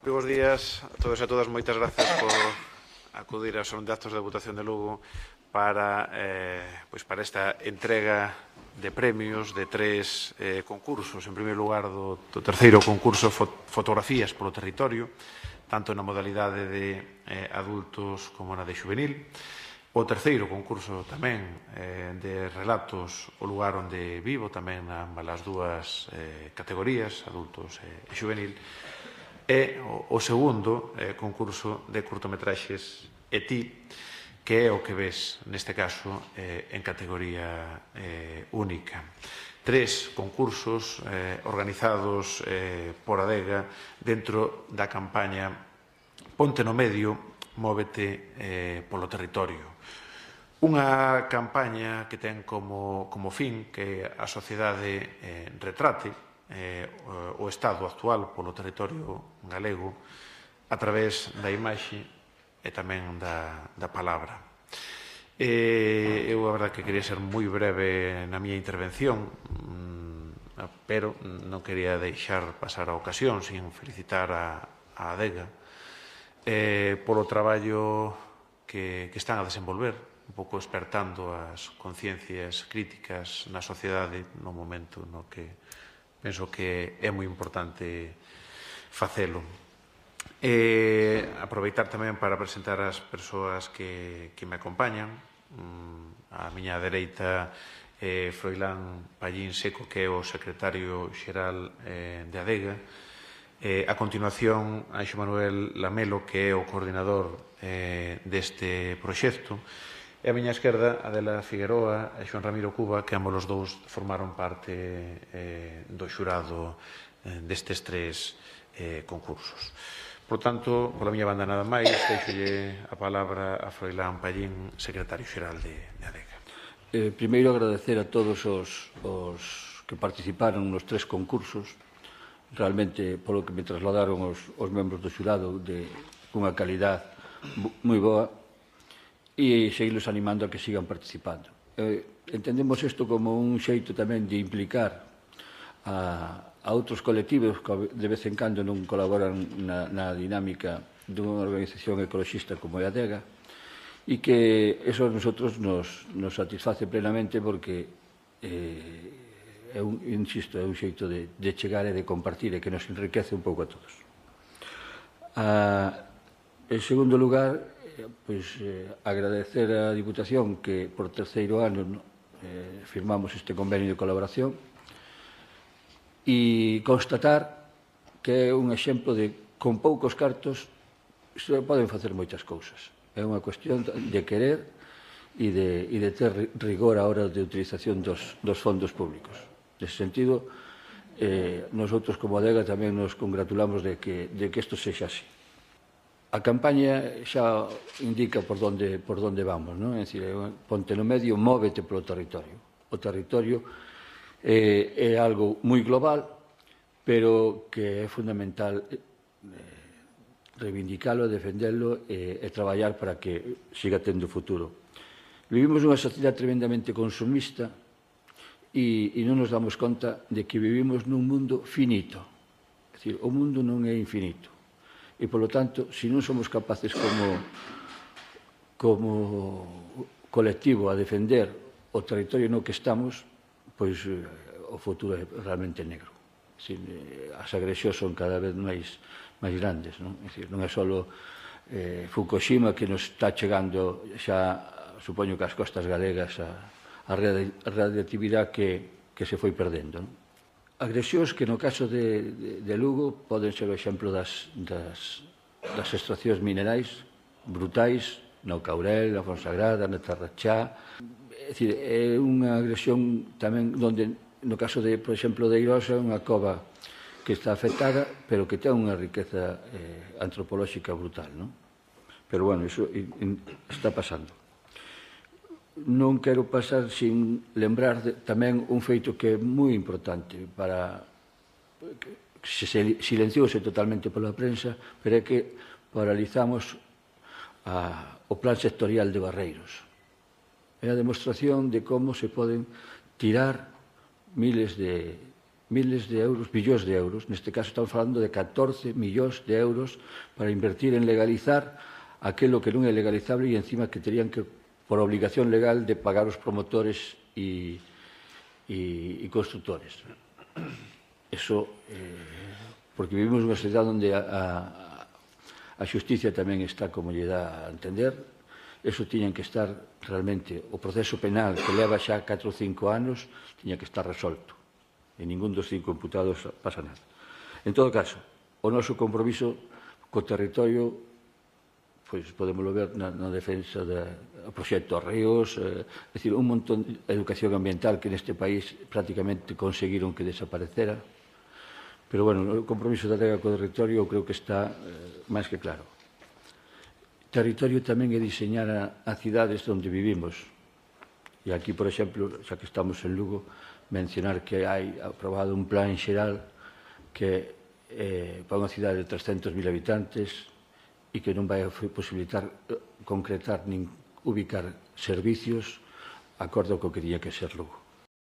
Moi bons días a todos e a todas. Moitas grazas por acudir aos actos de votación de Lugo para esta entrega de premios de 3 concursos. En primeiro lugar, do terceiro concurso Fotografías polo Territorio, tanto na modalidade de adultos como na de xuvenil. O terceiro concurso tamén de relatos o lugar onde vivo, tamén nas dúas categorías, adultos e xuvenil. E o segundo concurso de curtometraxes E ti, que é o que ves, neste caso, en categoría única. 3 concursos organizados por Adega dentro da campaña Ponte no Medio, móvete polo territorio. Unha campaña que ten como fin que a sociedade retrate o estado actual polo territorio galego a través da imaxe e tamén da palabra. Eu, a verdade, que quería ser moi breve na miña intervención, pero non quería deixar pasar a ocasión sin felicitar a Adega polo traballo que están a desenvolver, un pouco despertando as conciencias críticas na sociedade no momento no que penso que é moi importante facelo. Aproveitar tamén para presentar as persoas que me acompañan. A miña dereita Froilán Pallín Seco, que é o secretario xeral de Adega. A continuación, Anxo Manuel Lamelo, que é o coordinador deste proxecto. E a miña esquerda, Adela Figueroa e Xoan Ramiro Cuba, que ambos os dous formaron parte do xurado destes 3 concursos. Por tanto, pola miña banda nada máis, deixolle a palabra a Froilán Pallín, secretario xeral de Adega. Primeiro, agradecer a todos os que participaron nos 3 concursos, realmente polo que me trasladaron os membros do xurado de unha calidad moi boa, e seguirlos animando a que sigan participando. Entendemos isto como un xeito tamén de implicar a outros colectivos que de vez en cando non colaboran na dinámica dunha organización ecologista como é a Adega, e que eso a nosotros nos satisface plenamente porque insisto, é un xeito de chegar e de compartir e que nos enriquece un pouco a todos. En segundo lugar, agradecer á Diputación que por terceiro ano firmamos este convenio de colaboración e constatar que é un exemplo de con poucos cartos se poden facer moitas cousas. É unha cuestión de querer e de ter rigor á hora de utilización dos fondos públicos. Nese sentido, nosotros como Adega tamén nos congratulamos de que isto sexa así. A campaña xa indica por onde vamos, non? É dicir, ponte no medio, móvete polo territorio. O territorio é algo moi global, pero que é fundamental reivindicalo, defendelo e traballar para que siga tendo futuro. Vivimos nunha sociedade tremendamente consumista e non nos damos conta de que vivimos nun mundo finito. É dicir, o mundo non é infinito. E, polo tanto, se non somos capaces como colectivo a defender o territorio no que estamos, pois o futuro é realmente negro. As agresións son cada vez máis grandes, non? É dicir, non é só Fukushima que nos está chegando xa, supoño que ás costas galegas, a radioactividade que se foi perdendo, non? Agresións que no caso de Lugo poden ser o exemplo das extraccións minerais brutais no Caurel, na Fonsagrada, na Tarrachá. É dicir, é unha agresión tamén onde, no caso, por exemplo, de Eirosa, é unha cova que está afectada, pero que ten unha riqueza antropolóxica brutal, non? Pero, bueno, iso está pasando. Non quero pasar sin lembrar tamén un feito que é moi importante que se silenciouse totalmente pola prensa, pero é que paralizamos o plan sectorial de Barreiros. É a demostración de como se poden tirar miles de miles de euros, billóns de euros, neste caso estamos falando de 14 millóns de euros para invertir en legalizar aquilo que non é legalizable e encima que terían que, por obligación legal, de pagar os promotores e constructores. Eso, porque vivimos nunha sociedade onde a xusticia tamén está como lle dá a entender. Eso tiñan que estar realmente, o proceso penal que leva xa 4 ou 5 anos tiña que estar resolto e ningún dos 5 imputados pasa nada. En todo caso, o noso compromiso co territorio, pois podémoslo ver na defensa do proxecto Ríos, é dicir, un montón de educación ambiental que neste país prácticamente conseguiron que desaparecera. Pero, bueno, o compromiso da Adega co territorio eu creo que está máis que claro. Territorio tamén é diseñar a cidades onde vivimos. E aquí, por exemplo, xa que estamos en Lugo, mencionar que hai aprobado un plan xeral que para unha cidade de 300.000 habitantes e que non vai posibilitar concretar nin ubicar servicios acordo co que tiña que ser Lugo.